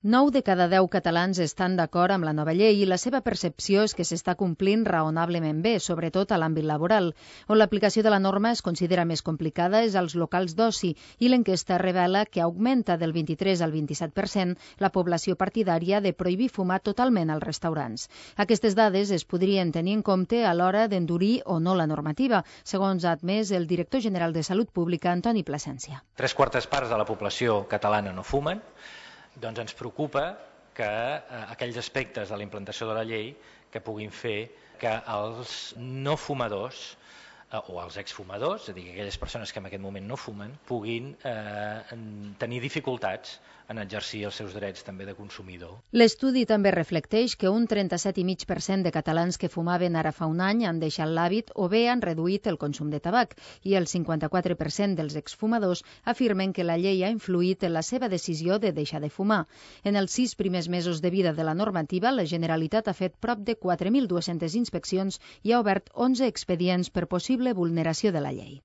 9 de cada 10 catalans estan d'acord amb la nova llei i la seva percepció és que s'està complint raonablement bé, sobretot a l'àmbit laboral. On l'aplicació de la norma es considera més complicada és als locals d'oci i l'enquesta revela que augmenta del 23 al 27% la població partidària de prohibir fumar totalment als restaurants. Aquestes dades es podrien tenir en compte a l'hora d'endurir o no la normativa, segons ha admès el director general de Salut Pública, Antoni Plasència. 3/4 parts de la població catalana no fumen. Doncs ens preocupa que aquells aspectes de la implantació de la llei que puguin fer que els no fumadors o els exfumadors, és a dir, aquelles persones que en aquest moment no fumen, puguin tenir dificultats en exercir els seus drets també de consumidor. L'estudi també reflecteix que un 37,5% de catalans que fumaven ara fa un any han deixat l'hàbit o bé han reduït el consum de tabac i el 54% dels exfumadors afirmen que la llei ha influït en la seva decisió de deixar de fumar. En els 6 primers mesos de vida de la normativa, la Generalitat ha fet prop de 4.200 inspeccions i ha obert 11 expedients per possible vulneració de la llei.